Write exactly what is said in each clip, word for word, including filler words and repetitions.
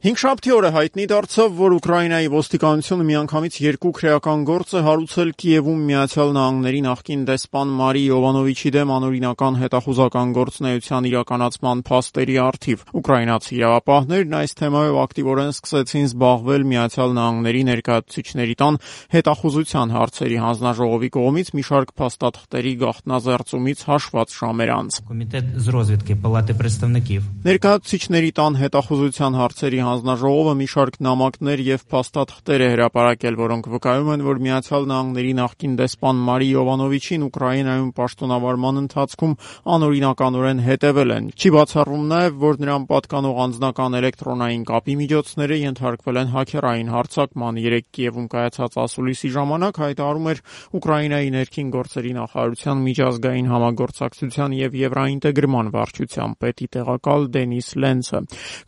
Հինգշաբթի օրը հայտնի դարձավ, որ Ուկրաինայի ոստիկանությունը միանգամից երկու քրեական գործ է հարուցել Կիևում Միացյալ Նահանգների նախկին դեսպան Մարի Յովանովիչի դեմ անօրինական հետախուզական գործունեության իրականացման փաստերի առթիվ։ Ուկրաինացի իրավապահներն այս թեմայով ակտիվորեն սկսեցին զբաղվել Միացյալ Նահանգների ներկայացուցիչների տան հետախուզության հարցերի հանձնաժողովի կողմից մի շարք փաստաթղթերի գաղտնազերծումից հաշված ժամեր անց։ Комітет з розвідки Палати представників. Ներկայացուցիչների տան հետախուզության հարցերի հանձնաժողովը մի շարք նամակներ եւ փաստաթղթեր է հրապարակել, որոնք վկայում են, որ Միացյալ Նահանգների նախկին դեսպան Մարի Յովանովիչին Ուկրաինայում պաշտոնավարման ընթացքում անօրինականորեն հետևել են։ Չի բացառվում նաեւ, որ նրան պատկանող անձնական էլեկտրոնային կապի միջոցները ենթարկվել են հաքերային հարձակման։ Երեկ Կիևում կայացած ասուլիսի ժամանակ հայտարարում էր Ուկրաինայի ներքին գործերի նախարարության միջազգային համագործակցության եւ եվրոինտեգրման վարչության պետի տեղակալ Դենիս Լենցը։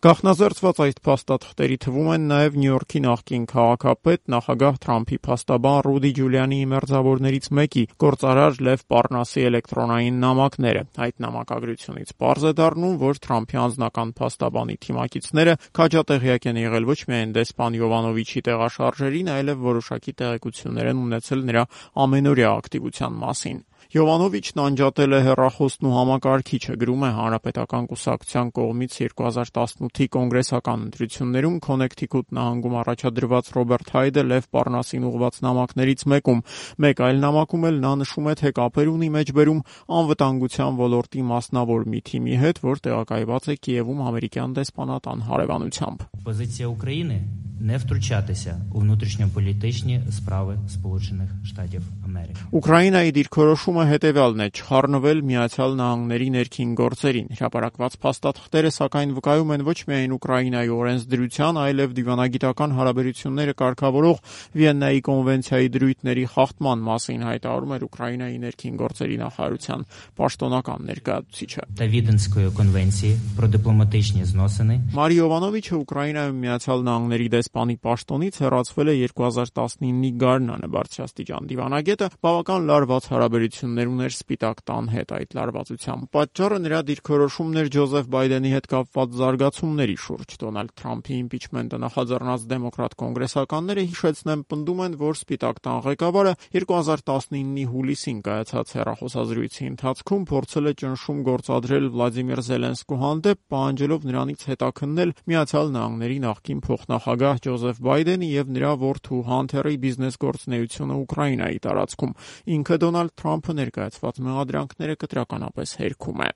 Գաղտնազերծված այդ փաստաթղթերի թվում են նաև Նյու Յորքի նախկին քաղաքապետ, նախագահ Թրամփի փաստաբան Ռուդի Ջուլիանիի մերձավորներից մեկի գործարար Լև Պարնասի էլեկտրոնային նամակները։ Այդ նամակագրությունից պարզ է դառնում, որ Թրամփի անձնական փաստաբանի թիմակիցները քաջատեղյակ են եղել ոչ միայն դեսպան Յովանովիչի տեղաշարժերին, այլև որոշակի տեղեկություններ են ունեցել նրա ամենօրյա ակտիվության մասին։ Յովանովիչն անջատել է հեռախոսն ու համակարգիչը, գրում է Հանրապետական կուսակցության կողմից երկու հազար տասնութի կոնգրեսական ընտրություններում Քոնեկթիքուտ նահանգում առաջադրված Ռոբերտ Հայդը Լև Պարնասին ուղղված նամակներից մեկում։ Մեկ այլ նամակում էլ նա նշում է, թե կապեր ունի մեջբերում անվտանգության ոլորտի մասնավոր մի թիմի հետ, որ տեղակայված է Կիևում ամերիկյան դեսպանատան հարևանությամբ։ Позиція України не втручатися у внутрішньополітичні справи Сполучених Штатів Америки. Ուկրաինայի դիրքորոշումը հետևյալն է՝ չխառնվել Միացյալ Նահանգների ներքին գործերին։ Հրապարակված փաստաթղթերը սակայն վկայում են ոչ միայն Ուկրաինայի օրենսդրության, այլև դիվանագիտական հարաբերությունները կարգավորող Վիեննայի կոնվենցիայի դրույթների խախտման մասին, հայտարարում էր Ուկրաինայի ներքին գործերի նախարարության պաշտոնական ներկայացուցիչը։ Та Віденської конвенції про дипломатичні зносини. Մարի Յովանովիչը Ուկրաինայում Միացյալ Նահանգների դեսպանի պաշտոնից հեռացվել է երկու հազար տասնինի գարնանը։ Բարձրաստիճան դիվանագետը բավական լարված հարաբերություններ ուներ Սպիտակ տան հետ։ Այդ լարվածության պատճառը նրա դիրքորոշումն էր Ջոզեֆ Բայդենի հետ կապված զարգացումների շուրջ։ Դոնալդ Թրամփի իմպիչմենտը նախաձեռնած դեմոկրատ կոնգրեսականները, հիշեցնեմ, պնդում են, որ Սպիտակ տան ղեկավարը երկու հազար տասնինի հուլիսին կայացած հեռախոսազրույցի ընթացքում փորձել է ճնշում գործադրել Վլադիմիր Զելենսկու հանդեպ, պահանջելով նրանից հետաքննել Միացյալ Նահանգների նախկին փոխնախագահ Ջոզեֆ Բայդենի եւ նրա որդու Հանթերի բիզնես գործունեությունը Ուկրաինայի տարածքում։ Ինքը Դոնալդ Թրամփը ներկայացված մեղադրանքները կտրականապես հերքում է։